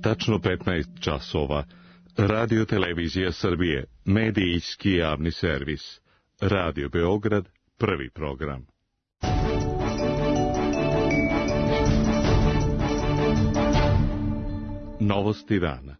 tačno 15 časova. Radio Televizija Srbije, medijski javni servis. Radio Beograd, prvi program. Novosti dana.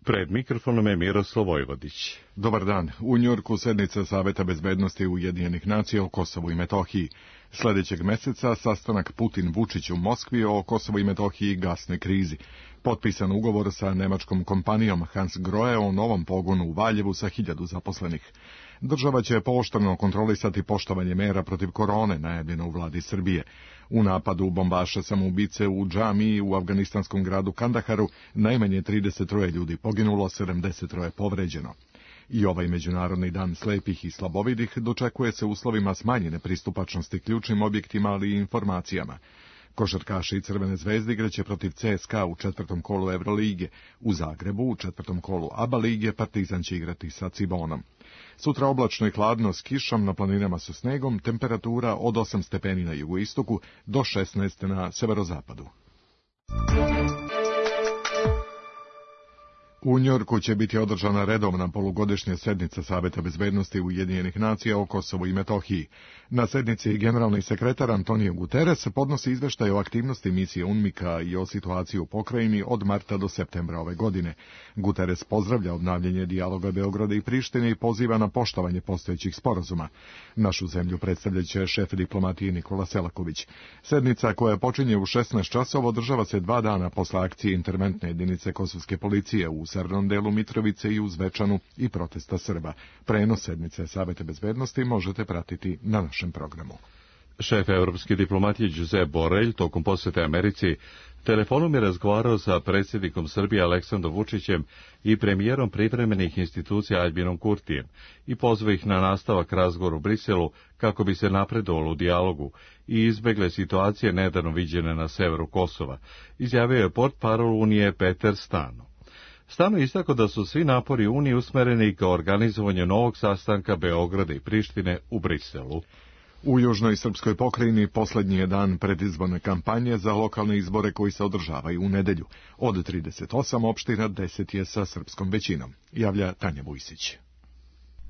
Pred mikrofonom je Miroslav Vojvodić. Dobar dan. U Njujorku sednica Saveta bezbednosti Ujedinjenih nacija o Kosovu i Metohiji. Sljedećeg meseca sastanak Putin-Vučić u Moskvi o Kosovu i Metohiji i gasnoj krizi. Potpisan ugovor sa nemačkom kompanijom Hans Grohe o novom pogonu u Valjevu sa 1000 zaposlenih. Država će pooštreno kontrolisati poštovanje mera protiv korone, najavljeno u vladi Srbije. U napadu bombaša samoubice u džamiji u afganistanskom gradu Kandaharu najmanje 33 ljudi poginulo, 73 povređeno. I ovaj Međunarodni dan slepih i slabovidih dočekuje se uslovima smanjene pristupačnosti ključnim objektima, ali i informacijama. Košarkaši Crvene zvezde igraće protiv CSKA u 4. kolu Evrolige. U Zagrebu u 4. kolu ABA lige Partizan će igrati sa Cibonom. Sutra oblačno i hladno s kišom, na planinama sa snegom, temperatura od 8 stepeni na jugoistoku do 16 na severozapadu. U Njujorku će biti održana redovna polugodišnja sednica Saveta bezbednosti Ujedinjenih nacija o Kosovu i Metohiji. Na sednici generalni sekretar Antonio Guterres podnosi izveštaj o aktivnosti misije UNMIK-a i o situaciji u pokrajini od marta do septembra ove godine. Guterres pozdravlja obnavljanje dijaloga Beograda i Prištine i poziva na poštovanje postojećih sporazuma. Našu zemlju predstavljaće šef diplomatije Nikola Selaković. Sednica koja počinje u 16 časova održava se 2 dana posle akcije interventne jedinice kosovske policije u severnom delu Mitrovice i u Zvečanu i protesta Srba. Prenos sednice Saveta bezbednosti možete pratiti na našem programu. Šef evropske diplomatije Josep Borrell tokom posete Americi telefonom je razgovarao sa predsjednikom Srbije Aleksandrom Vučićem i premijerom privremenih institucija Aljbinom Kurtijem i pozvao ih na nastavak razgovora u Briselu kako bi se napredovalo u dijalogu i izbegle situacije nedavno viđene na severu Kosova, izjavio je portparol Unije Peter Stano. Stano je istakao da su svi napori Unije usmereni ka organizovanju novog sastanka Beograda i Prištine u Briselu. U južnoj srpskoj pokrajini posljednji je dan predizborne kampanje za lokalne izbore koji se održavaju u nedelju. Od 38 opština 10 je sa srpskom većinom, javlja Tanja Vujsić.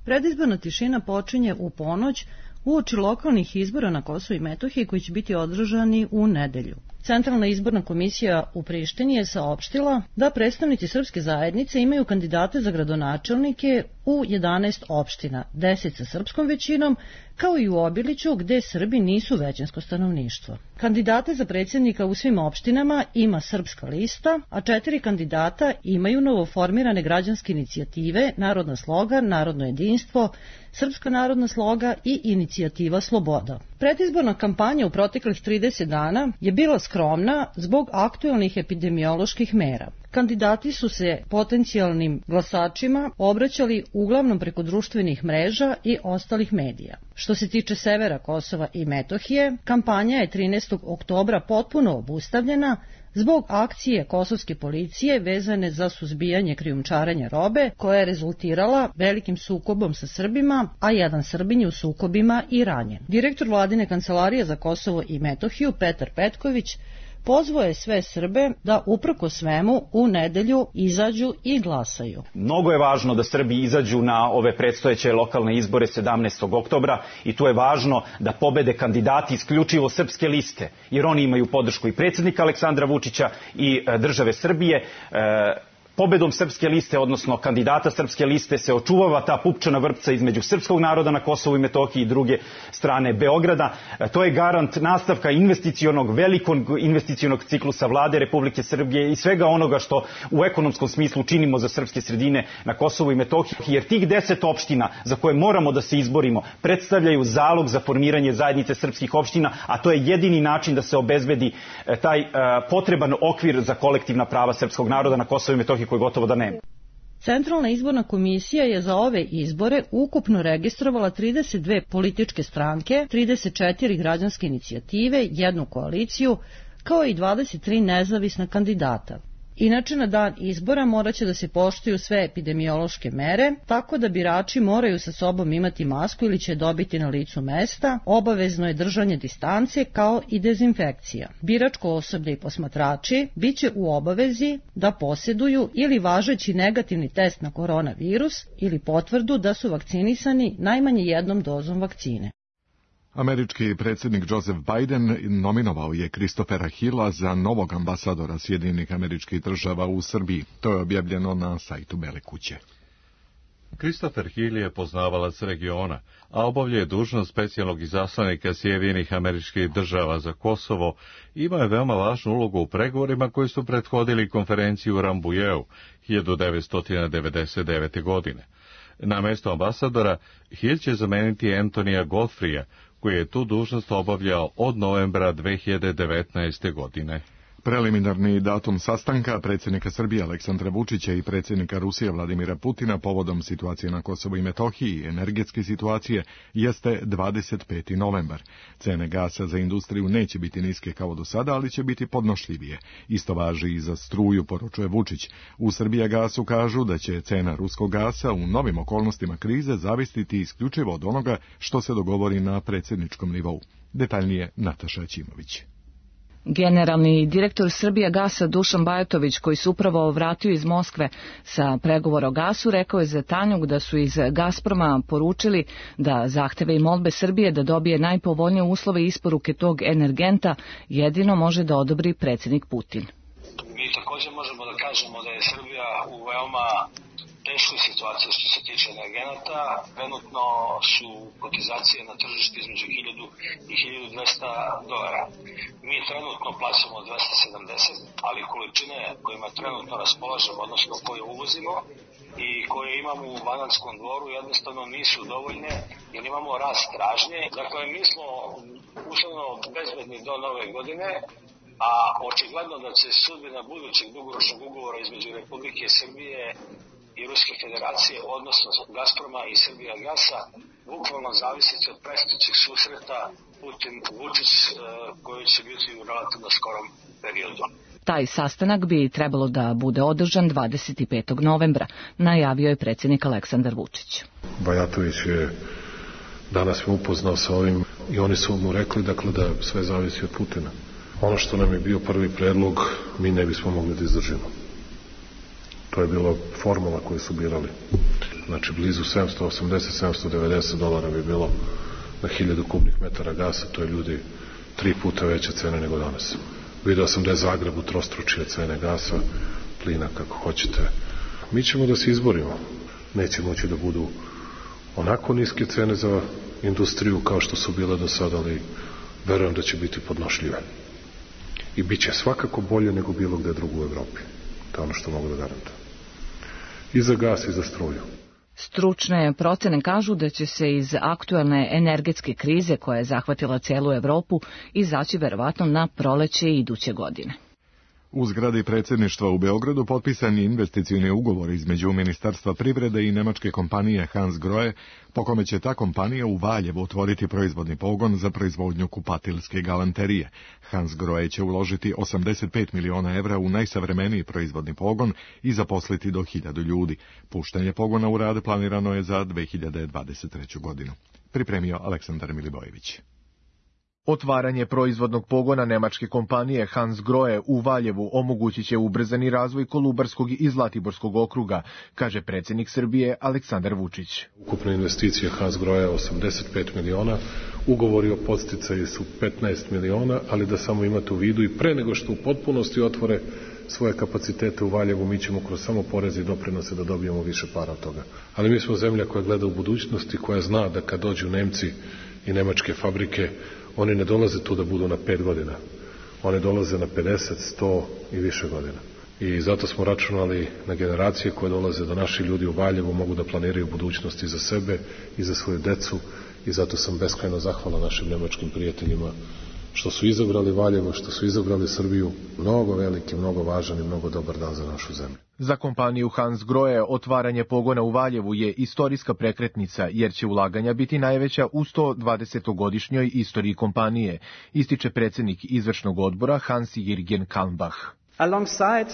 Predizborna tišina počinje u ponoć uoči lokalnih izbora na Kosovu i Metohiji koji će biti održani u nedelju. Centralna izborna komisija u Prištini je saopštila da predstavnici srpske zajednice imaju kandidate za gradonačelnike u 11 opština, 10 sa srpskom većinom, kao i u Obiliću gde Srbi nisu većinsko stanovništvo. Kandidate za predsjednika u svim opštinama ima Srpska lista, a 4 kandidata imaju novoformirane građanske inicijative Narodna sloga, Narodno jedinstvo, Srpska narodna sloga i Inicijativa Sloboda. Predizborna kampanja u proteklih 30 dana je bila skromna zbog aktuelnih epidemioloških mera. Kandidati su se potencijalnim glasačima obraćali uglavnom preko društvenih mreža i ostalih medija. Što se tiče severa Kosova i Metohije, kampanja je 13. oktobra potpuno obustavljena zbog akcije kosovske policije vezane za suzbijanje krijumčarenja robe, koja je rezultirala velikim sukobom sa Srbima, a jedan Srbin je u sukobima i ranjen. Direktor vladine kancelarije za Kosovo i Metohiju, Petar Petković, pozvao je sve Srbe da uprko svemu u nedelju izađu i glasaju. Mnogo je važno da Srbi izađu na ove predstojeće lokalne izbore 17. oktobra i tu je važno da pobede kandidati isključivo srpske liste, jer oni imaju podršku i predsjednika Aleksandra Vučića i države Srbije. Pobedom srpske liste, odnosno kandidata srpske liste, se očuvava ta pupčana vrpca između srpskog naroda na Kosovu i Metohiji i druge strane Beograda. To je garant nastavka velikog investicionog ciklusa vlade Republike Srbije i svega onoga što u ekonomskom smislu činimo za srpske sredine na Kosovu i Metohiji, jer tih 10 opština za koje moramo da se izborimo predstavljaju zalog za formiranje zajednice srpskih opština, a to je jedini način da se obezbedi taj potreban okvir za kolektivna prava srpskog naroda na Kosovu i Metohiji, koji gotovo da nema. Centralna izborna komisija je za ove izbore ukupno registrovala 32 političke stranke, 34 građanske inicijative, 1 koaliciju, kao i 23 nezavisna kandidata. Inače, na dan izbora moraće da se poštuju sve epidemiološke mere, tako da birači moraju sa sobom imati masku ili će dobiti na licu mesta. Obavezno je držanje distance kao i dezinfekcija. Biračko osoblje i posmatrači biće u obavezi da posjeduju ili važeći negativni test na koronavirus ili potvrdu da su vakcinisani najmanje jednom dozom vakcine. Američki predsjednik Joseph Biden nominovao je Christophera Hilla za novog ambasadora Sjedinjenih Američkih Država u Srbiji. To je objavljeno na sajtu Bele kuće. Christopher Hill je poznavalac regiona, a obavlja dužnost specijalnog izaslanika Sjedinjenih Američkih Država za Kosovo. Ima je veoma važnu ulogu u pregovorima koji su prethodili konferenciju u Rambujeu 1999. godine. Na mesto ambasadora Hill će zameniti Antonija Godfreya, koji je tu dužnost obavljao od novembra 2019. godine. Preliminarni datum sastanka predsjednika Srbije Aleksandra Vučića i predsjednika Rusije Vladimira Putina povodom situacije na Kosovu i Metohiji i energetske situacije jeste 25. novembar. Cene gasa za industriju neće biti niske kao do sada, ali će biti podnošljivije. Isto važi i za struju, poručuje Vučić. U Srbijagasu kažu da će cena ruskog gasa u novim okolnostima krize zavisiti isključivo od onoga što se dogovori na predsjedničkom nivou. Detaljnije Nataša Ćimović. Generalni direktor Srbijagasa Dušan Bajatović, koji se upravo vratio iz Moskve sa pregovora o gasu, rekao je za Tanjug da su iz Gazproma poručili da zahteve i molbe Srbije da dobije najpovoljnije uslove isporuke tog energenta jedino može da odobri predsjednik Putin. Mi također možemo da kažemo da je Srbija u veoma teškoj situaciji što se tiče energenata. Trenutno su kotizacije na tržištu između 1000 i 1200 dolara. Mi trenutno plaćamo 270, ali količine kojima trenutno raspolažemo, odnosno koje uvozimo i koje imamo u Banatskom dvoru, jednostavno nisu dovoljne jer imamo rast tražnje. Dakle, mi smo uslovno bezbedni do nove godine, a očigledno da će sudbina budućeg dugoročnog ugovora između Republike Srbije i Ruske federacije, odnosno Gazproma i Srbijagasa, bukvalno zavisiti od predstojećeg susreta Putin-Vučić koji će biti u relativno skorom periodu. Taj sastanak bi trebalo da bude održan 25. novembra, najavio je predsjednik Aleksandar Vučić. Bajatović je danas me upoznao sa ovim i oni su mu rekli dakle, da sve zavisi od Putina. Ono što nam je bio prvi predlog, mi ne bismo mogli da izdržimo. To je bilo formula koju su birali. Znači, blizu 780-790 dolara bi bilo na 1000 kubnih metara gasa, to je ljudi 3 puta veća cena nego danas. Video sam da je Zagreb utrostručio cene gasa, plina, kako hoćete. Mi ćemo da se izborimo. Neće moći da budu onako niske cene za industriju kao što su bile do sada, ali verujem da će biti podnošljive. I bit će svakako bolje nego bilo gde drugo u Evropi. To je ono što mogu da garantujem. I za gas i za struju. Stručne procene kažu da će se iz aktuelne energetske krize koja je zahvatila celu Evropu izaći verovatno na proleće iduće godine. U zgradi predsjedništva u Beogradu potpisan je investicioni ugovor između Ministarstva privrede i nemačke kompanije Hans Grohe, po kome će ta kompanija u Valjevu otvoriti proizvodni pogon za proizvodnju kupatilske galanterije. Hans Grohe će uložiti 85 miliona evra u najsavremeniji proizvodni pogon i zaposliti do 1000 ljudi. Puštanje pogona u rad planirano je za 2023. godinu. Pripremio Aleksandar Milibojević. Otvaranje proizvodnog pogona nemačke kompanije Hans Grohe u Valjevu omogućit će ubrzani razvoj Kolubarskog i Zlatiborskog okruga, kaže predsjednik Srbije Aleksandar Vučić. Ukupna investicija Hans Grohe 85 miliona, ugovori o podsticaju su 15 miliona, ali da samo imate u vidu i pre nego što u potpunosti otvore svoje kapacitete u Valjevu, mi ćemo kroz samo poreze i doprinose da dobijemo više para od toga. Ali mi smo zemlja koja gleda u budućnosti, koja zna da kad dođu Nemci i nemačke fabrike, oni ne dolaze tu da budu na 5 godina. Oni dolaze na 50, 100 i više godina. I zato smo računali na generacije koje dolaze da naši ljudi u Valjevu mogu da planiraju budućnosti za sebe i za svoju decu. I zato sam beskrajno zahvalan našim nemačkim prijateljima što su izabrali Valjevo, što su izabrali Srbiju. Mnogo veliki, mnogo važan i mnogo dobar dan za našu zemlju. Za kompaniju Hans Grohe otvaranje pogona u Valjevu je istorijska prekretnica, jer će ulaganja biti najveća u 120-godišnjoj istoriji kompanije, ističe predsjednik izvršnog odbora Hans-Jürgen Kalmbach. Alongside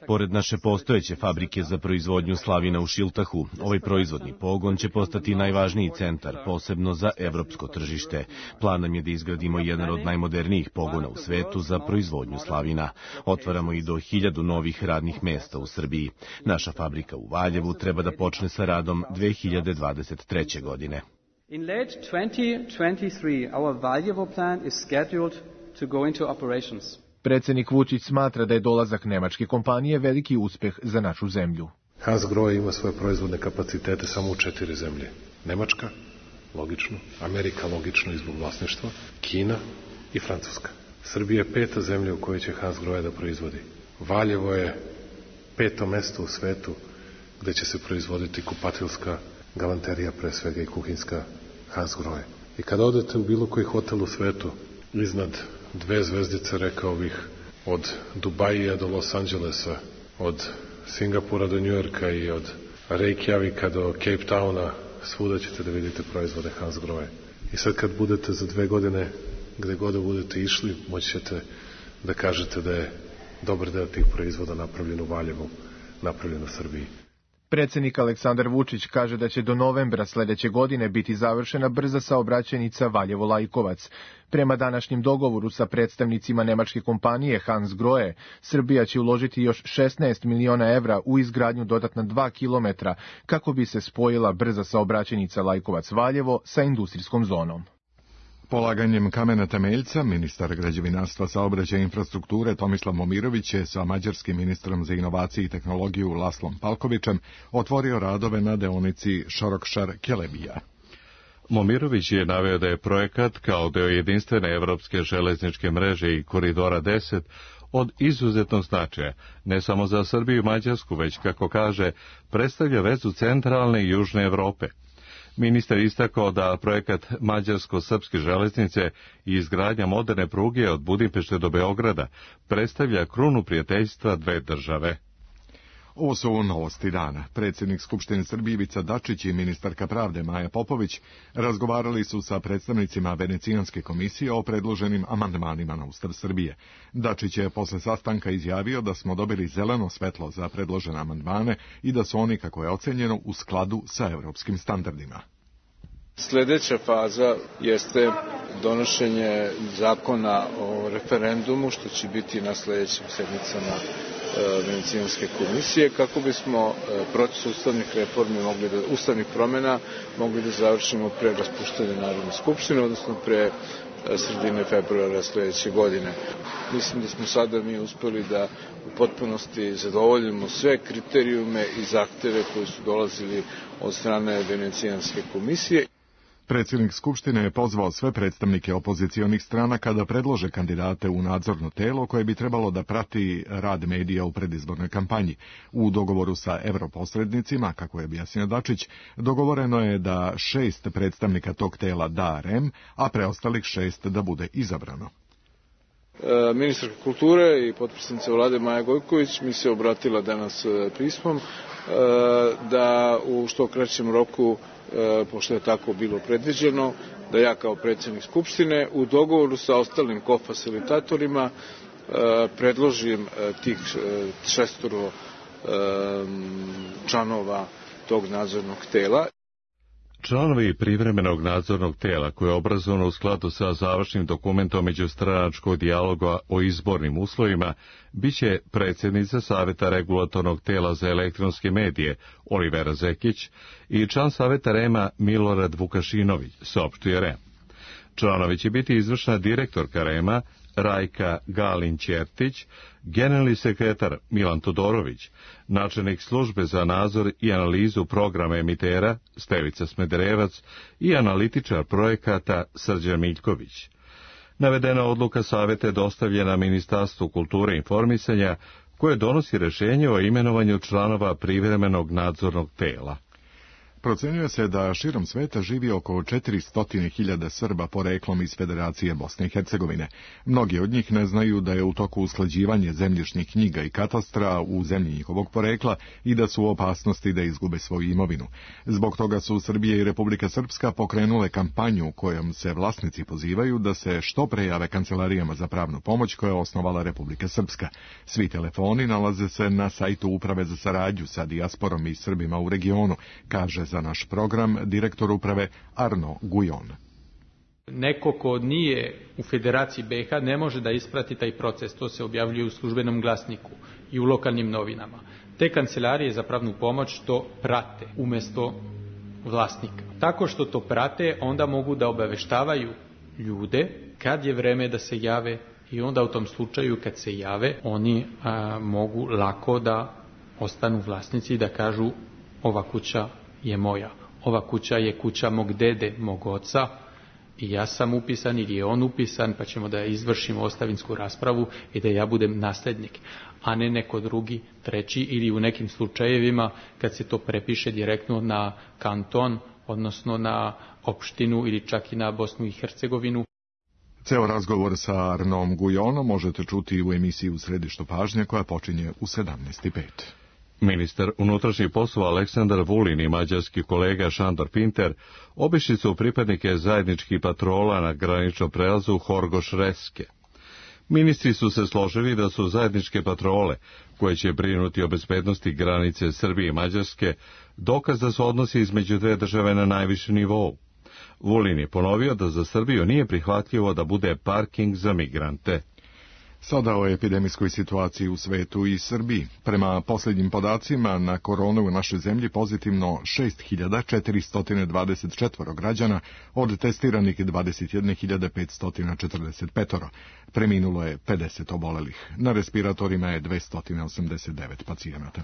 Pored naše postojeće fabrike za proizvodnju slavina u Šiltahu, ovaj proizvodni pogon će postati najvažniji centar, posebno za evropsko tržište. Plan nam je da izgradimo jedan od najmodernijih pogona u svetu za proizvodnju slavina. Otvaramo i do 1000 novih radnih mesta u Srbiji. Naša fabrika u Valjevu treba da počne sa radom 2023. godine. In late 2023, our Valjevo plant is scheduled to go into operations. Predsjednik Vučić smatra da je dolazak nemačke kompanije veliki uspeh za našu zemlju. Hansgrohe ima svoje proizvodne kapacitete samo u 4 zemlje. Nemačka, logično, Amerika, logično i zbog vlasništva, Kina i Francuska. Srbija je 5. zemlja u kojoj će Hansgrohe da proizvodi. Valjevo je 5. mesto u svetu gde će se proizvoditi kupatilska galanterija, pre svega i kuhinska Hansgrohe. I kada odete u bilo koji hotel u svetu, iznad 2 zvezdice, rekao bih, od Dubaija do Los Angelesa, od Singapura do Njujorka i od Reykjavika do Cape Towna, svuda ćete da vidite proizvode Hansgrohe. I sad kad budete za 2 godine, gde god da budete išli, moći ćete da kažete da je dobar deo tih proizvoda napravljen u Valjevu, napravljen u Srbiji. Predsjednik Aleksandar Vučić kaže da će do novembra sledeće godine biti završena brza saobraćajnica Valjevo-Lajkovac. Prema današnjem dogovoru sa predstavnicima nemačke kompanije Hansgrohe, Srbija će uložiti još 16 miliona evra u izgradnju dodatna 2 kilometra kako bi se spojila brza saobraćajnica Lajkovac-Valjevo sa industrijskom zonom. Polaganjem kamena temeljca, ministar građevinarstva, saobraćaja i infrastrukture Tomislav Momirović je sa mađarskim ministrom za inovacije i tehnologiju Laslom Palkovićem otvorio radove na deonici Šorokšar-Kelebija. Momirović je naveo da je projekat kao deo jedinstvene evropske železničke mreže i koridora 10 od izuzetnog značaja, ne samo za Srbiju i Mađarsku, već, kako kaže, predstavlja vezu centralne i južne Evrope. Ministar istakao da projekat mađarsko-srpske železnice i izgradnja moderne pruge od Budimpešte do Beograda predstavlja krunu prijateljstva dve države. Ovo su novosti dana. Predsjednik Skupštine Srbije Ivica Dačić i ministarka pravde Maja Popović razgovarali su sa predstavnicima Venecijanske komisije o predloženim amandmanima na Ustav Srbije. Dačić je posle sastanka izjavio da smo dobili zeleno svetlo za predložene amandmane i da su oni, kako je ocenjeno, u skladu sa evropskim standardima. Sljedeća faza jeste donošenje zakona o referendumu, što će biti na sljedećim sednicama Venecijanske komisije, kako bismo proces ustavnih promjena mogli da završimo pre raspuštanja Narodne skupštine, odnosno pre sredine februara sljedeće godine. Mislim da smo sada uspeli da u potpunosti zadovoljimo sve kriterijume i zahteve koji su dolazili od strane Venecijanske komisije. Predsjednik Skupštine je pozvao sve predstavnike opozicionih stranaka da predlože kandidate u nadzorno telo koje bi trebalo da prati rad medija u predizbornoj kampanji. U dogovoru sa europosrednicima, kako je objasnio Dačić, dogovoreno je da 6 predstavnika tog tela da REM, a preostalih 6 da bude izabrano. Ministarka kulture i potpredsjednica vlade Maja Gojković mi se obratila danas pismom da u što kraćem roku, pošto je tako bilo predviđeno, da ja kao predsjednik Skupštine u dogovoru sa ostalim kofasilitatorima predložim tih 6 članova tog nadzornog tela. Članovi privremenog nadzornog tela, koje je obrazovano u skladu sa završnim dokumentom međustranačkog dijaloga o izbornim uslovima, biće predsjednica Saveta regulatornog tela za elektronske medije Olivera Zekić i član Saveta REM-a Milorad Vukašinović, saopštio REM. Članovi će biti izvršna direktorka REM-a Rajka Galin-Ćertić, generalni sekretar Milan Todorović, načelnik službe za nadzor i analizu programa emitera Stevica Smederevac i analitičar projekata Srđan Miljković. Navedena odluka saveta je dostavljena Ministarstvu kulture i informisanja, koje donosi rešenje o imenovanju članova privremenog nadzornog tela. Procenjuje se da širom sveta živi oko 400.000 Srba poreklom iz Federacije Bosne i Hercegovine. Mnogi od njih ne znaju da je u toku usklađivanje zemljišnih knjiga i katastra u zemlji njihovog porekla i da su u opasnosti da izgube svoju imovinu. Zbog toga su Srbija i Republika Srpska pokrenule kampanju kojom se vlasnici pozivaju da se što pre jave kancelarijama za pravnu pomoć koje je osnovala Republika Srpska. Svi telefoni nalaze se na sajtu Uprave za saradnju sa dijasporom i Srbima u regionu, kaže za naš program direktor uprave Arno Gujon. Neko ko nije u Federaciji BiH ne može da isprati taj proces, to se objavljuje u službenom glasniku i u lokalnim novinama. Te kancelarije za pravnu pomoć to prate umjesto vlasnika. Tako što to prate, onda mogu da obaveštavaju ljude kad je vreme da se jave i onda u tom slučaju kad se jave, oni mogu lako da ostanu vlasnici i da kažu ova kuća je moja, ova kuća je kuća mog dede, mog oca i ja sam upisan ili je on upisan, pa ćemo da izvršimo ostavinsku raspravu i da ja budem nasljednik, a ne neko drugi, treći ili u nekim slučajevima kad se to prepiše direktno na kanton, odnosno na opštinu ili čak i na Bosnu i Hercegovinu. Ceo razgovor sa Arnom Gujonom možete čuti u emisiji U središtu pažnje koja počinje u 17:05. Ministar unutrašnjih poslova Aleksandar Vulin i mađarski kolega Šandor Pinter obišli su pripadnike zajedničkih patrola na graničnom prelazu Horgoš-Reske. Ministri su se složili da su zajedničke patrole, koje će brinuti o bezbednosti granice Srbije i Mađarske, dokaz da su odnosi između dve države na najvišem nivou. Vulin je ponovio da za Srbiju nije prihvatljivo da bude parking za migrante. Sada o epidemijskoj situaciji u svetu i Srbiji. Prema posljednjim podacima, na koronu u našoj zemlji pozitivno 6.424 građana, od testiranih 21.545. Preminulo je 50 obolelih. Na respiratorima je 289 pacijenata.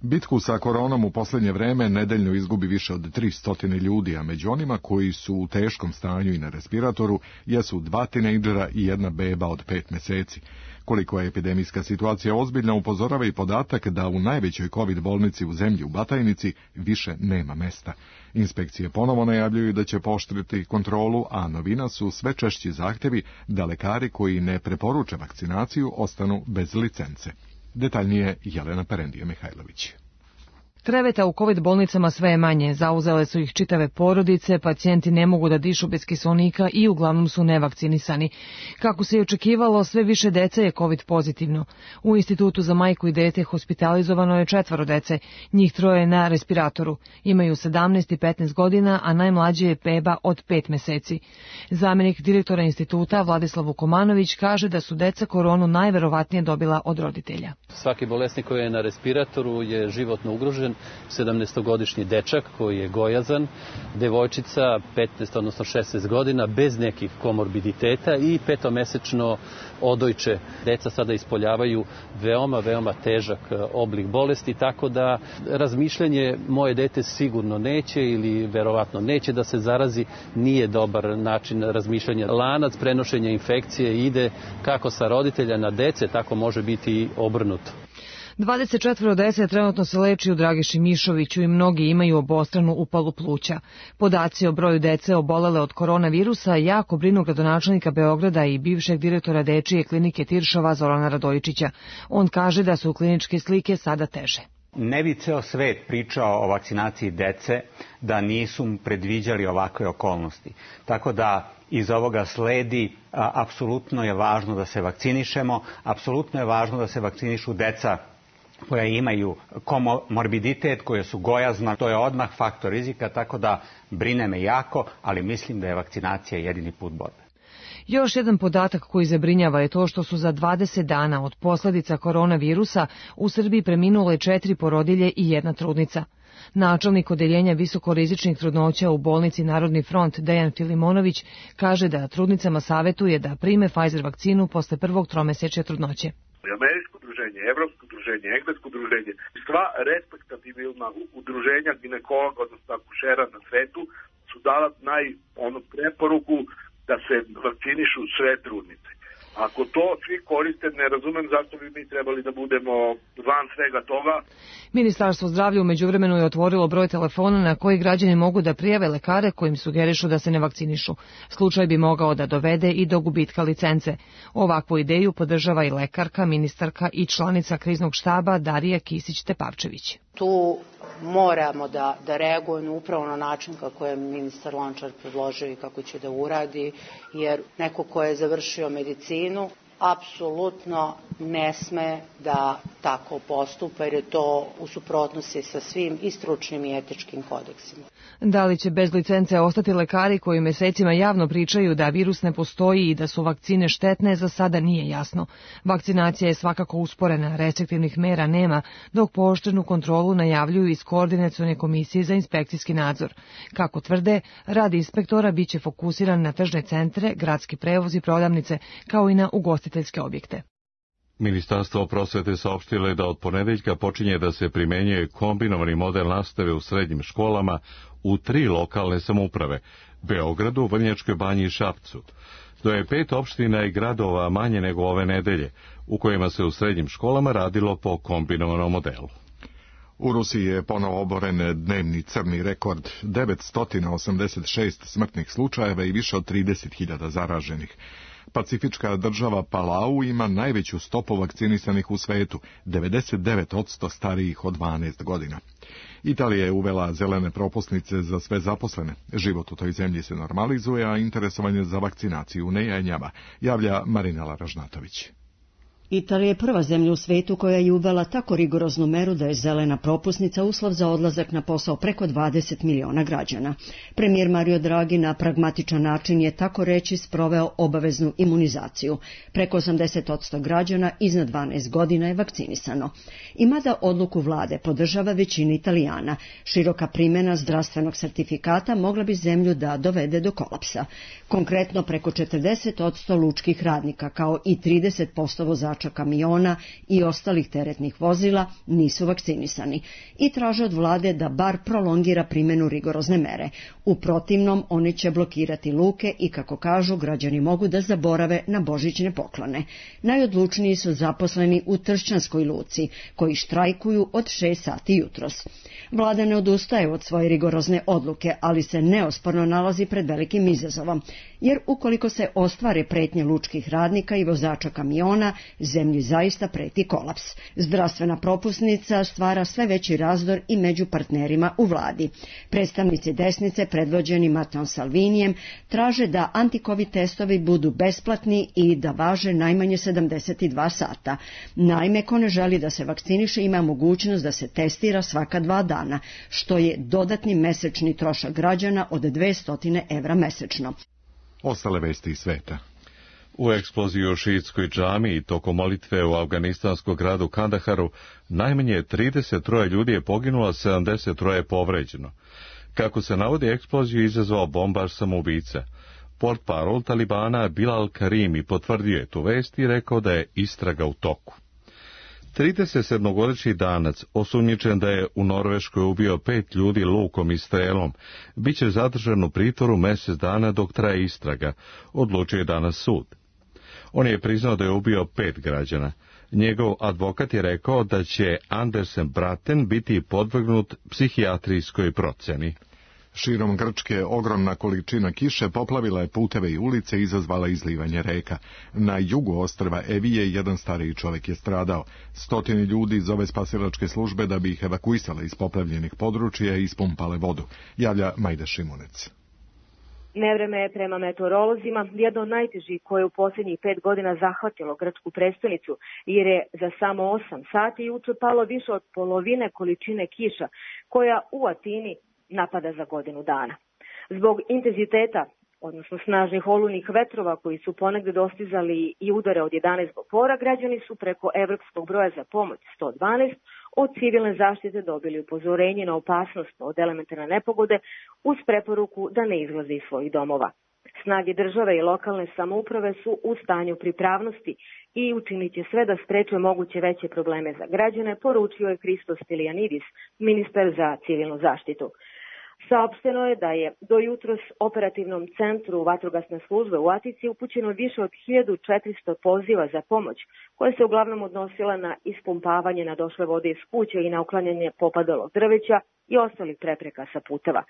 Bitku sa koronom u posljednje vreme nedeljno izgubi više od 300 ljudi, a među onima koji su u teškom stanju i na respiratoru jesu 2 tinejdžera i 1 beba od 5 meseci. Koliko je epidemijska situacija ozbiljna, upozorava i podatak da u najvećoj COVID bolnici u zemlji u Batajnici više nema mesta. Inspekcije ponovo najavljuju da će pooštriti kontrolu, a novina su sve češći zahtevi da lekari koji ne preporuče vakcinaciju ostanu bez licence. Detaljnije Jelena Perendije-Mihajlović. Kreveta u COVID bolnicama sve je manje, zauzele su ih čitave porodice, pacijenti ne mogu da dišu bez kiselnika i uglavnom su nevakcinisani. Kako se i očekivalo, sve više dece je COVID pozitivno. U Institutu za majku i dete hospitalizovano je 4 dece, njih 3 na respiratoru. Imaju 17 i 15 godina, a najmlađe je beba od 5 meseci. Zamjenik direktora instituta Vladislav Vukomanović kaže da su deca koronu najverovatnije dobila od roditelja. Svaki bolesnik koji je na respiratoru je životno ugrožen. 17-godišnji dečak koji je gojazan, devojčica 15, odnosno 16 godina bez nekih komorbiditeta i 5-mesečno odojče. Deca sada ispoljavaju veoma težak oblik bolesti, tako da razmišljanje moje dete sigurno neće ili verovatno neće da se zarazi nije dobar način razmišljanja. Lanac prenošenja infekcije ide kako sa roditelja na dece, tako može biti i obrnuto. 24 dece trenutno se leči u Dragiši Mišoviću i mnogi imaju obostranu upalu pluća. Podaci o broju dece obolele od koronavirusa jako brinu gradonačelnika Beograda i bivšeg direktora dečije klinike Tiršova Zorana Radojičića. On kaže da su kliničke slike sada teže. Ne bi ceo svet pričao o vakcinaciji dece da nisu predviđali ovakve okolnosti. Tako da iz ovoga sledi, apsolutno je važno da se vakcinišemo, apsolutno je važno da se vakcinišu deca koja imaju komorbiditet, koje su gojazna, to je odmah faktor rizika, tako da brine me jako, ali mislim da je vakcinacija jedini put borbe. Još jedan podatak koji zabrinjava je to što su za 20 dana od posljedica koronavirusa u Srbiji preminule 4 porodilje i 1 trudnica. Načelnik odeljenja visokorizičnih trudnoća u bolnici Narodni front Dejan Filimonović kaže da trudnicama savetuje da prime Pfizer vakcinu posle prvog tromesečja trudnoće. Američko udruženje, Evropsko udruženje, Englesko udruženje, sva respektabilna udruženja ginekologa, odnosno akušera na svetu su dala preporuku da se vakcinišu sve trudnice. Ako to svi koriste, ne razumem zašto bi mi trebali da budemo van svega toga. Ministarstvo zdravlja u međuvremenu je otvorilo broj telefona na koji građani mogu da prijave lekare kojim sugerišu da se ne vakcinišu. Slučaj bi mogao da dovede i do gubitka licence. Ovakvu ideju podržava i lekarka, ministarka i članica kriznog štaba Darija Kisić-Tepavčević. Tu moramo da reagujemo upravo na način kako je ministar Lončar predložio i kako će da uradi, jer neko ko je završio medicinu apsolutno ne sme da tako postupa, jer je to u suprotnosti sa svim i stručnim i etičkim kodeksima. Da li će bez licence ostati lekari koji mesecima javno pričaju da virus ne postoji i da su vakcine štetne, za sada nije jasno. Vakcinacija je svakako usporena, restriktivnih mera nema, dok pooštrenu kontrolu najavljuju iz Koordinacione komisije za inspekcijski nadzor. Kako tvrde, rad inspektora biće fokusiran na tržne centre, gradski prevoz i prodavnice, kao i na ugostiteljske objekte. Ministarstvo prosvete saopštilo je da od ponedeljka počinje da se primenjuje kombinovani model nastave u srednjim školama u 3 lokalne samouprave, Beogradu, Vrnjačkoj Banji i Šapcu. To je 5 opština i gradova manje nego ove nedelje, u kojima se u srednjim školama radilo po kombinovanom modelu. U Rusiji je ponovo oboren dnevni crni rekord, 986 smrtnih slučajeva i više od 30.000 zaraženih. Pacifička država Palau ima najveću stopu vakcinisanih u svetu, 99% starijih od 12 godina. Italija je uvela zelene propusnice za sve zaposlene. Život u toj zemlji se normalizuje, a interesovanje za vakcinaciju ne jenjava, javlja Marinela Ražnatović. Italija je prva zemlja u svetu koja je uvela tako rigoroznu meru da je zelena propusnica uslov za odlazak na posao preko 20 miliona građana. Premijer Mario Draghi na pragmatičan način je tako reći sproveo obaveznu imunizaciju. Preko 80% građana iznad 12 godina je vakcinisano. I mada odluku vlade podržava većina Italijana, široka primjena zdravstvenog sertifikata mogla bi zemlju da dovede do kolapsa. Konkretno preko 40% lučkih radnika kao i 30% vozača kamiona i ostalih teretnih vozila nisu vakcinisani i traže od vlade da bar prolongira primjenu rigorozne mere. U protivnom, oni će blokirati luke i, kako kažu, građani mogu da zaborave na božićne poklone. Najodlučniji su zaposleni u Tršćanskoj luci, koji štrajkuju od 6 sati jutros. Vlada ne odustaje od svoje rigorozne odluke, ali se neosporno nalazi pred velikim izazovom, jer ukoliko se ostvare pretnje lučkih radnika i vozača kamiona, zemlji zaista preti kolaps. Zdravstvena propusnica stvara sve veći razdor i među partnerima u vladi. Predstavnici desnice, predvođeni Matteom Salvinijem, traže da antikovid testovi budu besplatni i da važe najmanje 72 sata. Naime, ko ne želi da se vakciniše ima mogućnost da se testira svaka 2 dana, što je dodatni mesečni trošak građana od 200 evra mesečno. Ostale vesti iz sveta. U eksploziji u šiitskoj džamiji tokom molitve u afganistanskom gradu Kandaharu najmanje 33 ljudi je poginulo, 73 je povređeno. Kako se navodi, eksploziju izazvao bombaš samoubica. Portparol Talibana Bilal Karimi potvrdio je tu vest i rekao da je istraga u toku. 37-godišnji Danac, osumnjičen da je u Norveškoj ubio 5 ljudi lukom i strelom, bit će zadržan u pritvoru mjesec dana dok traje istraga, odlučio je danas sud. On je priznao da je ubio 5 građana. Njegov advokat je rekao da će Andersen Braten biti podvrgnut psihijatrijskoj procjeni. Širom Grčke ogromna količina kiše poplavila je puteve i ulice i izazvala izlivanje reka. Na jugu ostrva Evije jedan stariji čovjek je stradao. 100 ljudi zove spasilačke službe da bi ih evakuisale iz poplavljenih područja i ispumpale vodu, javlja Majda Šimunec. Nevreme je prema meteorolozima jedno od najtežih koje u posljednjih 5 godina zahvatilo grčku prestonicu, jer je za samo 8 sati juče palo više od polovine količine kiša koja u Atini napada za godinu dana. Zbog intenziteta, odnosno snažnih olujnih vetrova koji su ponegde dostizali i udare od 11 pora, građani su preko evropskog broja za pomoć 112 od civilne zaštite dobili upozorenje na opasnost od elementarne nepogode uz preporuku da ne izlaze iz svojih domova. Snage države i lokalne samouprave su u stanju pripravnosti i učinit će sve da spreče moguće veće probleme za građane, poručio je Christos Stylianidis, ministar za civilnu zaštitu. Saopšteno je da je do jutros operativnom centru vatrogasne službe u Atici upućeno više od 1400 poziva za pomoć, koje se uglavnom odnosila na ispumpavanje nadošle vode iz kuće i na uklanjanje popadalog drveća i ostalih prepreka sa puteva.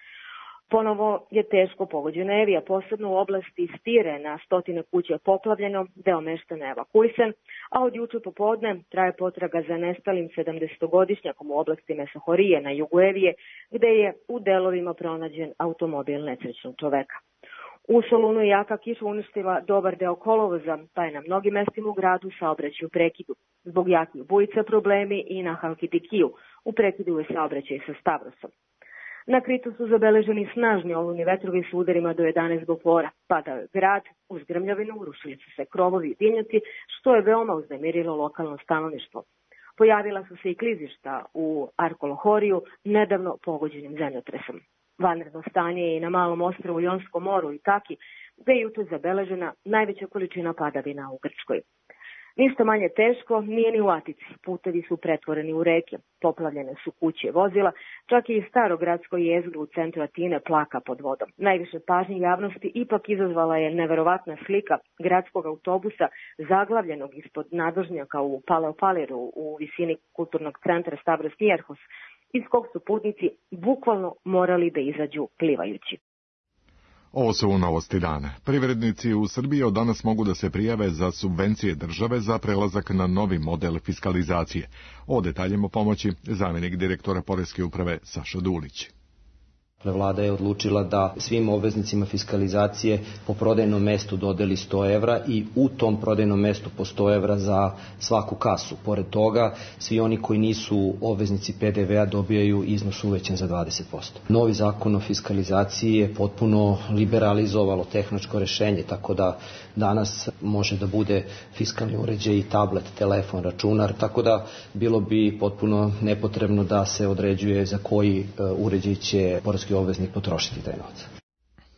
Ponovo je teško pogođena Evija, posebno u oblasti Stire, na stotine kuća je poplavljeno, deo meštana evakuisan, a od juče popodne traje potraga za nestalim 70-godišnjakom u oblasti Mesohorije na jugu Evije, gde je u delovima pronađen automobil nesrećnog čoveka. U Solunu je jaka kiša uništila dobar deo kolovoza, pa je na mnogim mestima u gradu saobraćaj u prekidu. Zbog jakih bujica problemi i na Halkidikiju, u prekidu je saobraćaj sa Stavrosom. Na Kritu su zabeleženi snažni olujni vetrovi s udarima do 11 bofora. Padao je grad, uz grmljavinu urušili su se krovovi i dimnjaci, što je veoma uznemirilo lokalno stanovništvo. Pojavila su se i klizišta u Arkolohoriju, nedavno pogođenim zemljotresom. Vanredno stanje je i na malom ostrvu Jonskom moru i Taki, gde je jutros zabeležena najveća količina padavina u Grčkoj. Ništa manje teško nije ni u Atici. Putevi su pretvoreni u reke, poplavljene su kuće i vozila, čak i staro gradsko jezgro u centru Atine plaka pod vodom. Najviše pažnje javnosti ipak izazvala je neverovatna slika gradskog autobusa zaglavljenog ispod nadvožnjaka u Paleopaliru u visini kulturnog centra Stavros Niarchos, iz kog su putnici bukvalno morali da izađu plivajući. Ovo su novosti dana. Privrednici u Srbiji od danas mogu da se prijave za subvencije države za prelazak na novi model fiskalizacije. O detaljima pomoći zamjenik direktora Poreske uprave Saša Dulić. Vlada je odlučila da svim obveznicima fiskalizacije po prodajnom mestu dodeli 100 evra i u tom prodajnom mestu po 100 evra za svaku kasu. Pored toga, svi oni koji nisu obveznici PDV-a dobijaju iznos uvećan za 20%. Novi zakon o fiskalizaciji je potpuno liberalizovalo tehničko rešenje, tako da danas može da bude fiskalni uređaj i tablet, telefon, računar, tako da bilo bi potpuno nepotrebno da se određuje za koji uređaj će poreski obveznik potrošiti taj novac.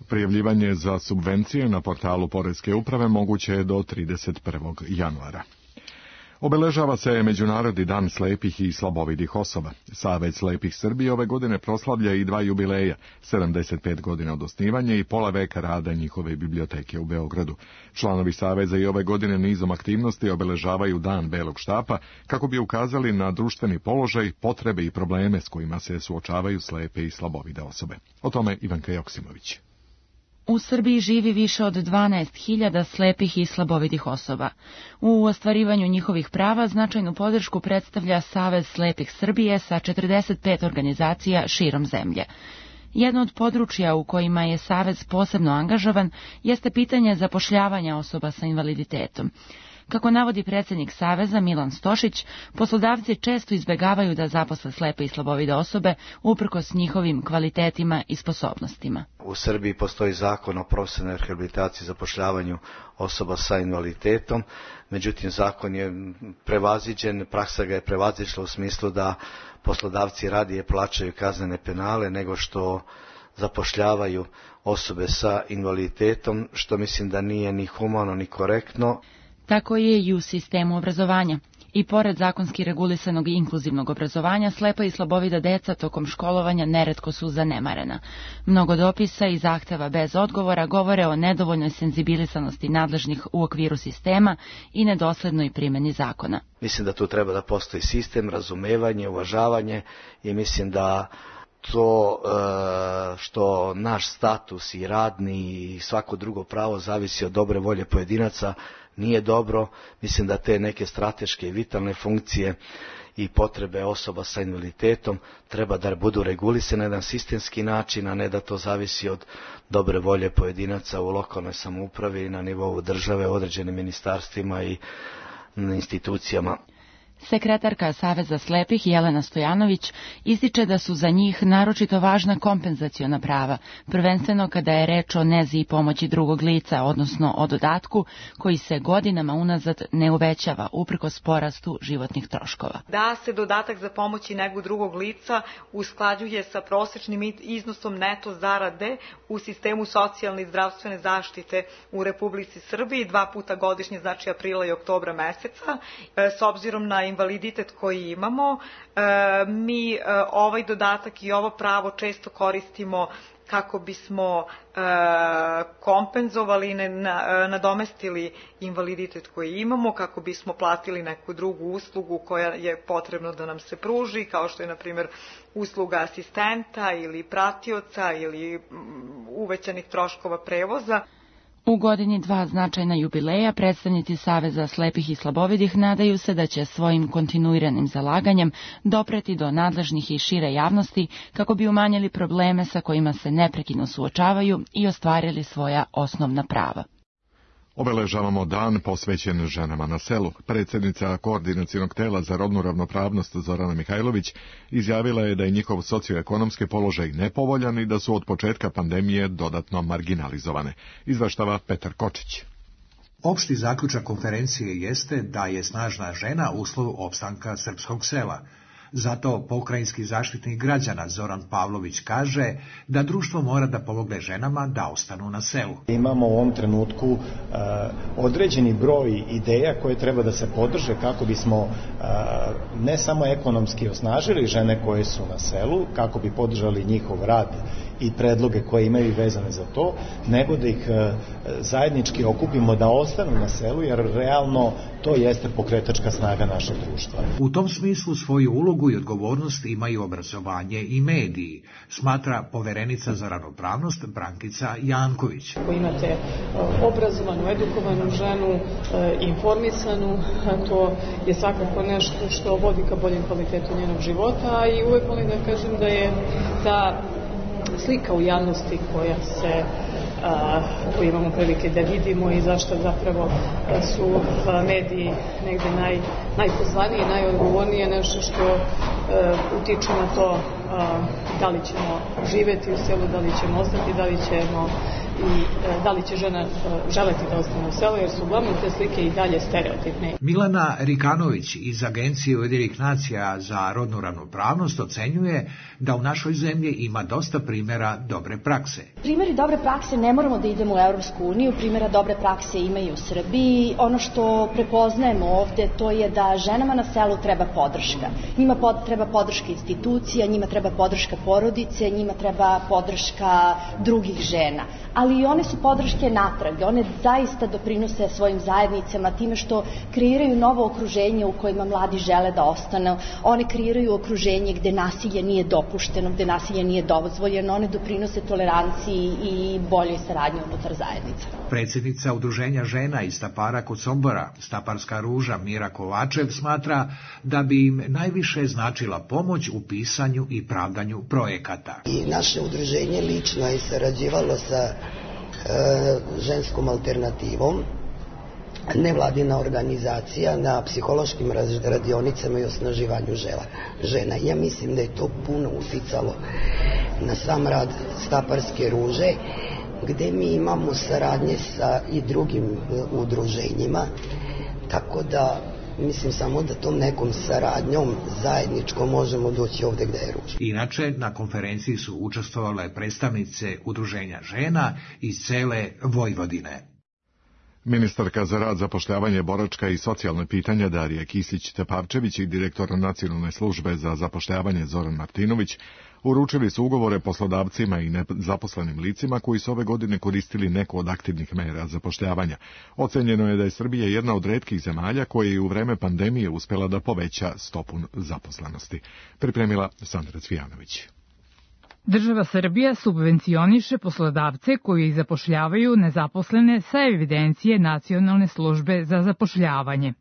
Prijavljivanje za subvencije na portalu Poreske uprave moguće je do 31. januara. Obeležava se Međunarodni dan slepih i slabovidih osoba. Savez slepih Srbije ove godine proslavlja i 2 jubileja, 75 godina od osnivanja i pola veka rada njihove biblioteke u Beogradu. Članovi Saveza i ove godine nizom aktivnosti obeležavaju Dan Belog štapa kako bi ukazali na društveni položaj, potrebe i probleme s kojima se suočavaju slepe i slabovide osobe. O tome Ivanka Joksimović. U Srbiji živi više od 12.000 slepih i slabovidih osoba. U ostvarivanju njihovih prava značajnu podršku predstavlja Savez slepih Srbije sa 45 organizacija širom zemlje. Jedno od područja u kojima je Savez posebno angažovan jeste pitanje zapošljavanja osoba sa invaliditetom. Kako navodi predsjednik Saveza Milan Stošić, poslodavci često izbegavaju da zaposle slepe i slabovide osobe uprkos njihovim kvalitetima i sposobnostima. U Srbiji postoji zakon o profesionalnoj rehabilitaciji i zapošljavanju osoba sa invaliditetom, međutim zakon je prevaziđen, praksa ga je prevazišla u smislu da poslodavci radije plaćaju kaznene penale nego što zapošljavaju osobe sa invaliditetom, što mislim da nije ni humano ni korektno. Tako je i u sistemu obrazovanja. I pored zakonski regulisanog i inkluzivnog obrazovanja, slepa i slabovida deca tokom školovanja neretko su zanemarena. Mnogo dopisa i zahteva bez odgovora govore o nedovoljnoj senzibilisanosti nadležnih u okviru sistema i nedoslednoj primjeni zakona. Mislim da tu treba da postoji sistem, razumevanje, uvažavanje i mislim da to što naš status i radni i svako drugo pravo zavisi od dobre volje pojedinaca nije dobro. Mislim da te neke strateške i vitalne funkcije i potrebe osoba sa invaliditetom treba da budu regulisane na jedan sistemski način, a ne da to zavisi od dobre volje pojedinaca u lokalnoj samoupravi i na nivou države, određenim ministarstvima i institucijama. Sekretarka Saveza slepih Jelena Stojanović ističe da su za njih naročito važna kompenzaciona prava, prvenstveno kada je reč o nezi i pomoći drugog lica, odnosno o dodatku koji se godinama unazad ne uvećava uprkos porastu životnih troškova. Da se dodatak za pomoć i negu drugog lica usklađuje sa prosečnim iznosom neto zarade u sistemu socijalne i zdravstvene zaštite u Republici Srbiji 2 puta godišnje, znači aprila i oktobra meseca, s obzirom na invaliditet koji imamo. Mi ovaj dodatak i ovo pravo često koristimo kako bismo kompenzovali, nadomestili invaliditet koji imamo, kako bismo platili neku drugu uslugu koja je potrebno da nam se pruži, kao što je, na primjer, usluga asistenta ili pratioca ili uvećanih troškova prevoza. U godini 2 značajna jubileja predstavnici Saveza slepih i slabovidih nadaju se da će svojim kontinuiranim zalaganjem dopreti do nadležnih i šire javnosti kako bi umanjili probleme sa kojima se neprekidno suočavaju i ostvarili svoja osnovna prava. Obeležavamo dan posvećen ženama na selu. Predsjednica Koordinacionog tela za rodnu ravnopravnost Zorana Mihajlović izjavila je da je njihov socioekonomski položaj nepovoljan i da su od početka pandemije dodatno marginalizovane. Izveštava Petar Kočić. Opšti zaključak konferencije jeste da je snažna žena uslov opstanka srpskog sela. Zato pokrajinski zaštitnik građana Zoran Pavlović kaže da društvo mora da pomogne ženama da ostanu na selu. Imamo u ovom trenutku određeni broj ideja koje treba da se podrže kako bismo ne samo ekonomski osnažili žene koje su na selu, kako bi podržali njihov rad i predloge koje imaju vezane za to, nego da ih zajednički okupimo da ostanu na selu, jer realno to jeste pokretačka snaga našeg društva. U tom smislu svoju ulogu i odgovornost imaju obrazovanje i mediji, smatra poverenica za ravnopravnost Brankica Janković. Ako imate obrazovanu, edukovanu ženu, informisanu, to je svakako nešto što vodi ka boljem kvalitetu njenog života i uvek volim da kažem da je ta slika u javnosti koju imamo prilike da vidimo i zašto zapravo su mediji negde najpozvaniji, najodgovornije, nešto što utiče na to da li ćemo živeti u selu, da li ćemo ostati, da li će žena želeti da ostane u selu, jer su uglavnom te slike i dalje stereotipne. Milana Rikanović iz Agencije Ujedinjenih nacija za rodnu ravnopravnost ocenjuje da u našoj zemlji ima dosta primjera dobre prakse. Primjeri dobre prakse ne moramo da idemo u Evropsku uniju, primjera dobre prakse ima i u Srbiji. Ono što prepoznajemo ovde to je da ženama na selu treba podrška. Njima treba podrška institucija, njima treba podrška porodice, njima treba podrška drugih žena. Ali i one su podrške natrag, one zaista doprinose svojim zajednicama time što kreiraju novo okruženje u kojima mladi žele da ostanu, one kreiraju okruženje gde nasilje nije dopušteno, gde nasilje nije dozvoljeno, one doprinose toleranciji i boljoj saradnji unutar zajednica. Predsjednica Udruženja žena iz Stapara kod Sombora, Staparska ruža Mira Kovačev, smatra da bi im najviše značila pomoć u pisanju i pravdanju projekata. I naše udruženje lično je sarađivalo sa ženskom alternativom, nevladina organizacija na psihološkim radionicama i osnaživanju žena. Ja mislim da je to puno uticalo na sam rad Staparske ruže, gde mi imamo saradnje sa i drugim udruženjima, tako da mislim samo da tom nekom saradnjom zajedničkom možemo doći ovde gde je ruža. Inače, na konferenciji su učestvovale predstavnice Udruženja žena iz cele Vojvodine. Ministarka za rad, zapošljavanje, boračka i socijalne pitanja Darija Kisić-Tepavčević i direktor Nacionalne službe za zapošljavanje Zoran Martinović uručili su ugovore poslodavcima i nezaposlenim licima koji su ove godine koristili neku od aktivnih mera zapošljavanja. Ocenjeno je da je Srbija jedna od retkih zemalja koja je u vreme pandemije uspela da poveća stopu zaposlenosti. Pripremila Sandra Cvijanović. Država Srbija subvencioniše poslodavce koji zapošljavaju nezaposlene sa evidencije Nacionalne službe za zapošljavanje.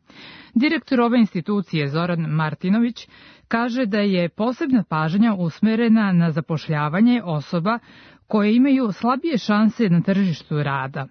Direktor ove institucije Zoran Martinović kaže da je posebna pažnja usmerena na zapošljavanje osoba koje imaju slabije šanse na tržištu rada.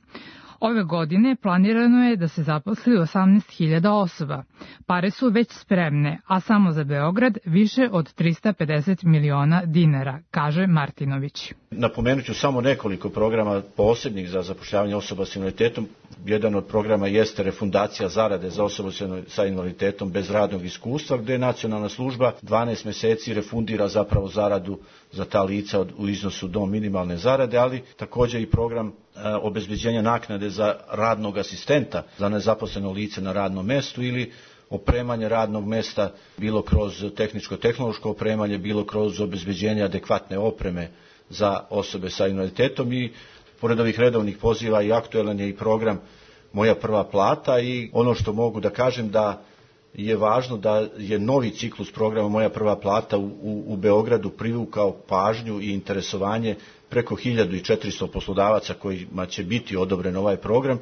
Ove godine planirano je da se zaposli 18.000 osoba. Pare su već spremne, a samo za Beograd više od 350 miliona dinara, kaže Martinović. Napomenut ću samo nekoliko programa posebnih za zapošljavanje osoba s invaliditetom. Jedan od programa jeste refundacija zarade za osobu sa invaliditetom bez radnog iskustva, gde Nacionalna služba 12 meseci refundira zapravo zaradu za ta lica u iznosu do minimalne zarade, ali također i program obezbeđenja naknade za radnog asistenta za nezaposleno lice na radnom mestu ili opremanje radnog mesta bilo kroz tehničko-tehnološko opremanje, bilo kroz obezbeđenje adekvatne opreme za osobe sa invaliditetom. I pored ovih redovnih poziva i aktuelan je i program Moja prva plata i ono što mogu da kažem da je važno da je novi ciklus programa Moja prva plata u Beogradu privukao pažnju i interesovanje preko 1400 poslodavaca kojima će biti odobren ovaj program.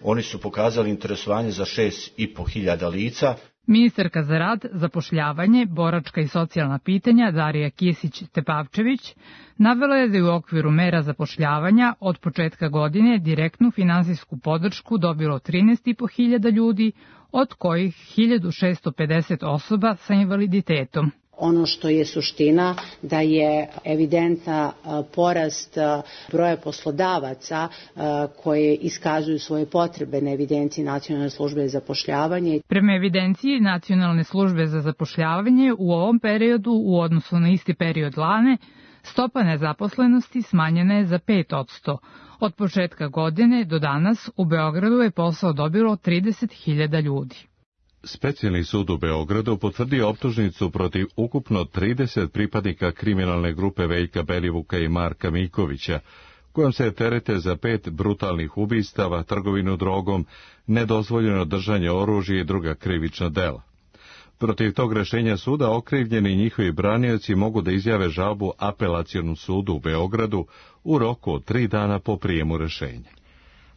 Oni su pokazali interesovanje za 6.500 lica. Ministarka za rad, zapošljavanje, boračka i socijalna pitanja Darija Kisić-Tepavčević navela je da je u okviru mera zapošljavanja od početka godine direktnu finansijsku podršku dobilo 13.500 ljudi, od kojih 1.650 osoba sa invaliditetom. Ono što je suština da je evidentna porast broja poslodavaca koje iskazuju svoje potrebe na evidenciji Nacionalne službe za zapošljavanje. Prema evidenciji Nacionalne službe za zapošljavanje u ovom periodu u odnosu na isti period lane stopa nezaposlenosti smanjena je za 5%. Od početka godine do danas u Beogradu je posao dobilo 30.000 ljudi. Specijalni sud u Beogradu potvrdio optužnicu protiv ukupno 30 pripadnika kriminalne grupe Veljka Belivuka i Marka Mikovića, kojom se terete za 5 brutalnih ubistava, trgovinu drogom, nedozvoljeno držanje oružja i druga krivična dela. Protiv tog rešenja suda okrivljeni i njihovi branioci mogu da izjave žalbu Apelacionom sudu u Beogradu u roku od 3 dana po prijemu rešenja.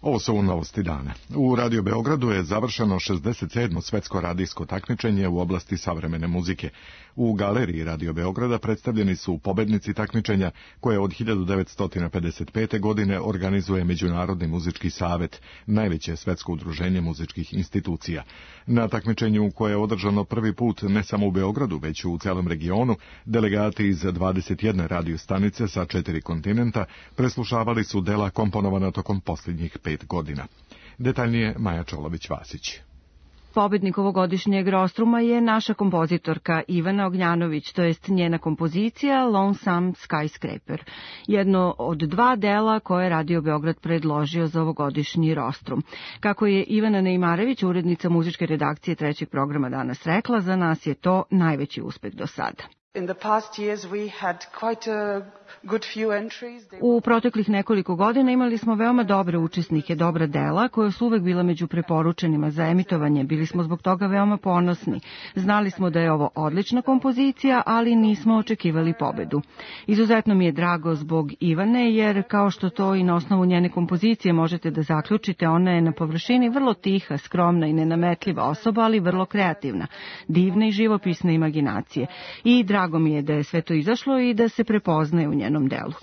Ovo su novosti dana. U Radio Beogradu je završeno 67. svetsko radijsko takmičenje u oblasti savremene muzike. U galeriji Radio Beograda predstavljeni su pobednici takmičenja koje od 1955. godine organizuje Međunarodni muzički savet, najveće svetsko udruženje muzičkih institucija. Na takmičenju koje je održano prvi put ne samo u Beogradu, već u celom regionu, delegati iz 21 radio stanice sa 4 kontinenta preslušavali su dela komponovana tokom posljednjih 5 godina. Detaljnije Maja Čolović-Vasić. Pobednik ovogodišnjeg Rostruma je naša kompozitorka Ivana Ognjanović, to jest njena kompozicija Lonesome Skyscraper, jedno od 2 dela koje je Radio Beograd predložio za ovogodišnji Rostrum. Kako je Ivana Neimarević, urednica muzičke redakcije 3. programa danas rekla, za nas je to najveći uspeh do sada. U proteklih nekoliko godina imali smo veoma dobre učesnike, dobra dela, koja su uvek bila među preporučenima za emitovanje. Bili smo zbog toga veoma ponosni. Znali smo da je ovo odlična kompozicija, ali nismo očekivali pobedu. Izuzetno mi je drago zbog Ivane, jer kao što to i na osnovu njene kompozicije možete da zaključite, ona je na površini vrlo tiha, skromna i nenametljiva osoba, ali vrlo kreativna, divne i živopisne imaginacije. I drago mi je da je sve to izašlo i da se prepoznaje u njenom delu.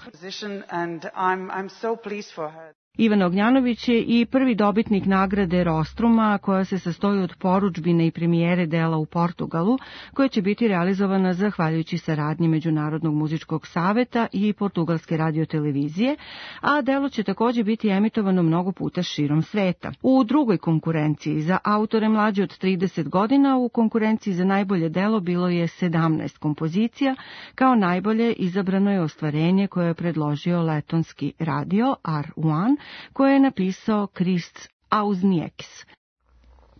Ivana Ognjanović je i prvi dobitnik nagrade Rostruma, koja se sastoji od porudžbine i premijere dela u Portugalu, koja će biti realizovana zahvaljujući saradnji Međunarodnog muzičkog saveta i Portugalske radiotelevizije, a delo će takođe biti emitovano mnogo puta širom sveta. U drugoj konkurenciji za autore mlađe od 30 godina, u konkurenciji za najbolje delo bilo je 17 kompozicija, kao najbolje izabrano je ostvarenje koje je predložio letonski radio R1, koje je napisao Krists Auznieks.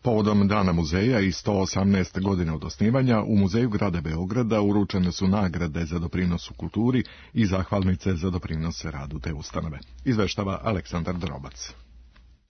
Povodom Dana muzeja i 118 godina od osnivanja, u Muzeju grada Beograda uručene su nagrade za doprinos u kulturi i zahvalnice za doprinos radu te ustanove. Izveštava Aleksandar Drobac.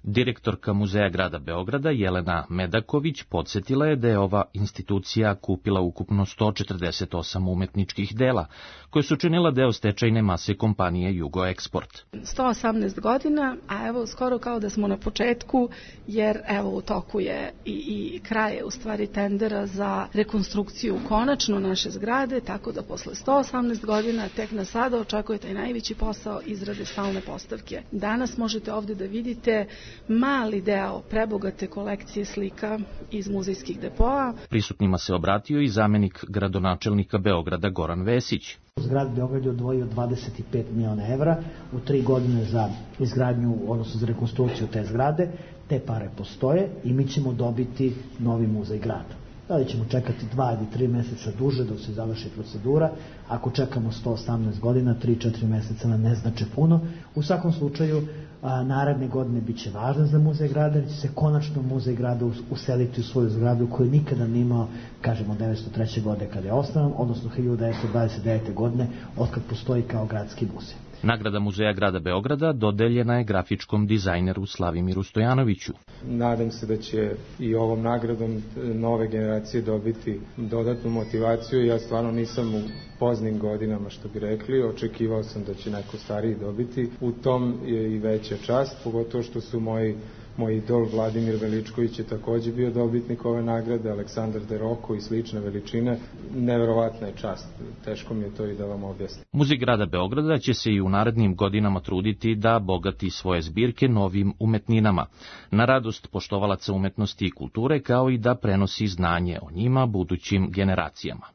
Direktorka Muzeja grada Beograda Jelena Medaković podsjetila je da je ova institucija kupila ukupno 148 umetničkih dela, koje su činila deo stečajne mase kompanije Jugoeksport. 118 godina, a evo skoro kao da smo na početku, jer evo u toku je i kraje u stvari tendera za rekonstrukciju konačno naše zgrade, tako da posle 118 godina tek nas sada očekuje taj najveći posao izrade stalne postavke. Danas možete ovde da vidite mali deo prebogate kolekcije slika iz muzejskih depoa. Prisutnima se obratio i zamenik gradonačelnika Beograda Goran Vesić. Grad Beograd je odvojio 25 miliona evra u 3 godine za izgradnju, odnosno za rekonstrukciju te zgrade. Te pare postoje i mi ćemo dobiti novi muzej grada. Da li ćemo čekati 2 ili 3 meseca duže dok se završi procedura? Ako čekamo 118 godina, 3-4 meseca nam ne znače puno. U svakom slučaju, naredne godine bit će važno za Muzej grada, jer će se konačno Muzej grada useliti u svoju zgradu koju nikada nije imao, kažemo, 1903. godine kada je osnovan, odnosno 1929. godine otkad postoji kao gradski muzej. Nagrada Muzeja grada Beograda dodeljena je grafičkom dizajneru Slavimiru Stojanoviću. Nadam se da će i ovom nagradom nove generacije dobiti dodatnu motivaciju. Ja stvarno nisam u poznim godinama, što bi rekli. Očekivao sam da će neko stariji dobiti. U tom je i veća čast, pogotovo što su moj idol Vladimir Veličković je takođe bio dobitnik ove nagrade, Aleksandar Deroko i slične veličine. Neverovatna je čast. Teško mi je to i da vam objasnim. Muzej grada Beograda će se i u narednim godinama truditi da bogati svoje zbirke novim umetninama, na radost poštovalaca umetnosti i kulture, kao i da prenosi znanje o njima budućim generacijama.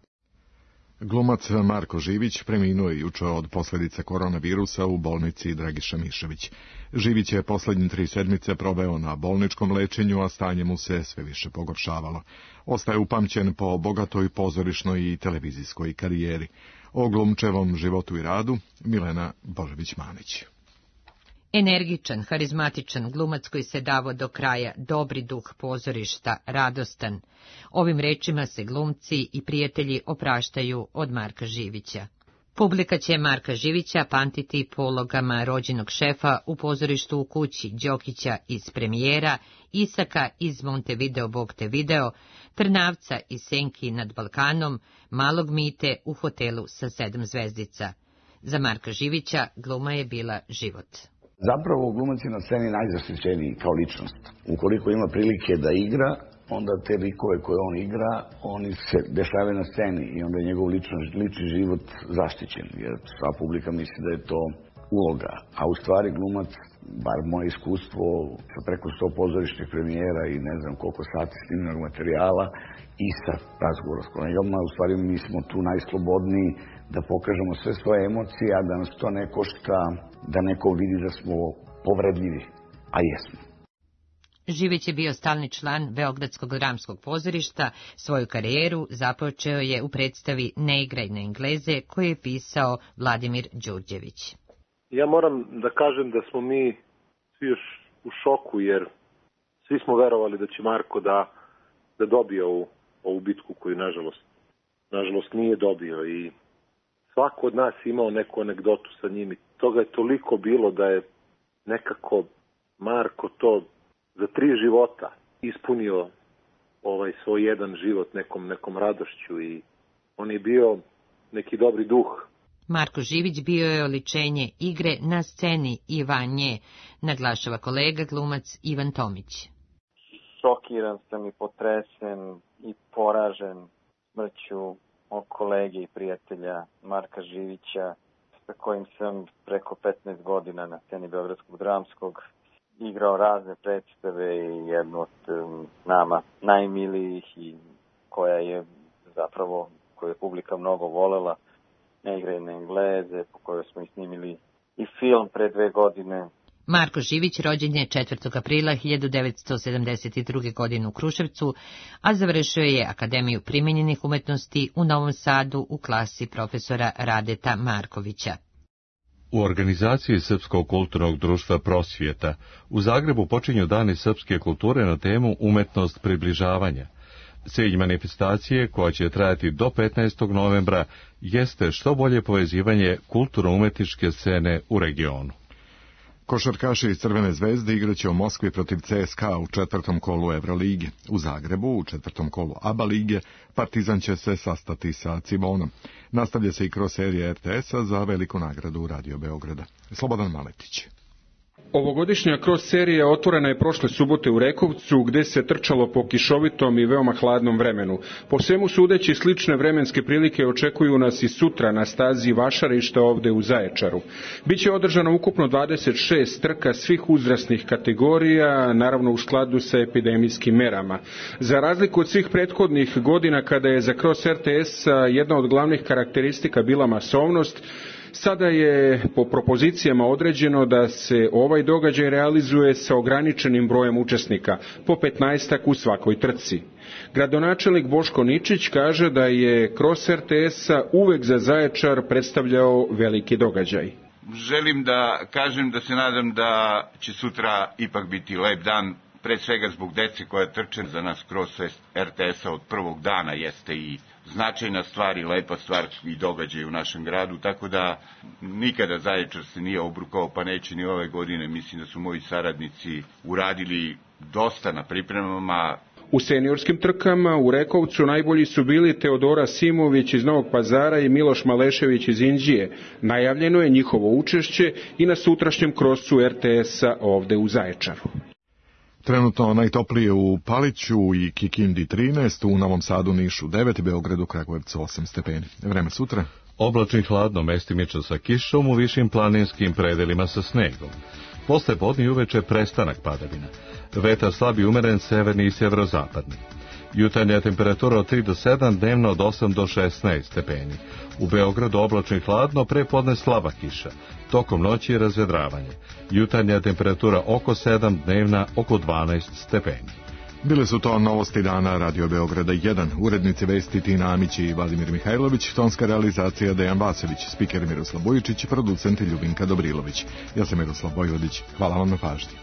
Glumac Marko Živić preminuo je juče od posljedica koronavirusa u bolnici Dragiša Mišević. Živić je posljednje 3 sedmice proveo na bolničkom lečenju, a stanje mu se sve više pogoršavalo. Ostaje upamćen po bogatoj pozorišnoj i televizijskoj karijeri. O glumčevom životu i radu Milena Božević-Manić. Energičan, harizmatičan glumac koji se davo do kraja, dobri duh pozorišta, radostan. Ovim rečima se glumci i prijatelji opraštaju od Marka Živića. Publika će Marka Živića pamtiti po ulogama rođenog šefa u pozorištu u kući, Đokića iz Premijera, Isaka iz Montevideo Bog te video, Trnavca iz Senki nad Balkanom, Malog Mite u hotelu sa 7 zvezdica. Za Marka Živića gluma je bila život. Zapravo glumac je na sceni najzaštićeniji kao ličnost. Ukoliko ima prilike da igra, onda te likove koje on igra, oni se dešavaju na sceni i onda je njegov lični život zaštićen, jer sva publika misli da je to uloga. A u stvari glumac, bar moje iskustvo sa preko 100 pozorišnih premijera i ne znam koliko sati snimljenog materijala i sa razgovora s kolegama, u stvari mi smo tu najslobodniji da pokažemo sve svoje emocije, a da nas to ne košta, da neko vidi da smo povredljivi, a jesmo. Živić je bio stalni član Beogradskog dramskog pozorišta, svoju karijeru započeo je u predstavi Ne igraj na Engleze, koju je pisao Vladimir Đurđević. Ja moram da kažem da smo mi svi još u šoku, jer svi smo verovali da će Marko da dobije ovu bitku koju nažalost nije dobio i svako od nas imao neku anegdotu sa njim i toga je toliko bilo da je nekako Marko to za 3 života ispunio svoj jedan život nekom radošću i on je bio neki dobri duh. Marko Živić bio je oličenje igre na sceni i van nje, naglašava kolega glumac Ivan Tomić. Šokiran sam i potresen i poražen smrću mog kolege i prijatelja Marka Živića, sa kojim sam preko 15 godina na sceni Beogradskog dramskog igrao razne predstave i jednu od nama najmilijih i koju je publika mnogo volela, Ne igraj na Engleze, po kojoj smo i snimili i film pre 2 godine. Marko Živić rođen je 4. aprila 1972. godine u Kruševcu, a završio je Akademiju primenjenih umetnosti u Novom Sadu u klasi profesora Radeta Markovića. U organizaciji Srpskog kulturnog društva Prosvjeta u Zagrebu počinju dani srpske kulture na temu Umetnost približavanja. Cilj manifestacije, koja će trajati do 15. novembra, jeste što bolje povezivanje kulturno-umetničke scene u regionu. Košarkaši iz Crvene zvezde igraće u Moskvi protiv CSKA u 4. kolu Evrolige. U Zagrebu u 4. kolu ABA lige Partizan će se sastati sa Cibonom. Nastavlja se i kroz serija RTS-a za veliku nagradu Radio Beograda. Slobodan Maletić. Ovogodišnja cross serija otvorena je prošle subote u Rekovcu, gde se trčalo po kišovitom i veoma hladnom vremenu. Po svemu sudeći, slične vremenske prilike očekuju nas i sutra na stazi Vašarišta ovde u Zaječaru. Biće održano ukupno 26 trka svih uzrasnih kategorija, naravno u skladu sa epidemijskim merama. Za razliku od svih prethodnih godina, kada je za cross RTS jedna od glavnih karakteristika bila masovnost, Sada je po propozicijama određeno da se ovaj događaj realizuje sa ograničenim brojem učesnika, po 15-ak u svakoj trci. Gradonačelnik Boško Ničić kaže da je Kros RTS-a uvek za Zaječar predstavljao veliki događaj. Želim da kažem da se nadam da će sutra ipak biti lep dan, pre svega zbog dece koja trče. Za nas Kros RTS-a od prvog dana jeste i značajna stvar i lepa stvar i događaj u našem gradu, tako da nikada Zaječar se nije obrukao, pa neće ni ove godine. Mislim da su moji saradnici uradili dosta na pripremama. U seniorskim trkama u Rekovcu najbolji su bili Teodora Simović iz Novog Pazara i Miloš Malešević iz Inđije. Najavljeno je njihovo učešće i na sutrašnjem krosu RTS-a ovde u Zaječaru. Trenutno najtoplije u Paliću i Kikindi 13, u Novom Sadu, Nišu 9, Beogradu, Kragujevcu 8 stepeni. Vreme sutra? Oblačno i hladno, mestimično sa kišom, u višim planinskim predelima sa snegom. Posle podne i uveče prestanak padavina. Vetar slab i umeren, severni i sjeverozapadni. Jutarnja temperatura od 3 do 7, dnevno od 8 do 16 stepeni. U Beogradu oblačno i hladno, pre podne slaba kiša. Tokom noći razvedravanje. Jutarnja temperatura oko 7, dnevna oko 12 stepeni. Bile su to novosti dana Radio Beograda 1. Urednici vesti Tina Amić i Vladimir Mihajlović, tonska realizacija Dejan Vasović, spiker Miroslav Bojičić, producent Ljubinka Dobrilović. Ja sam Miroslav Bojvodić. Hvala vam na pažnji.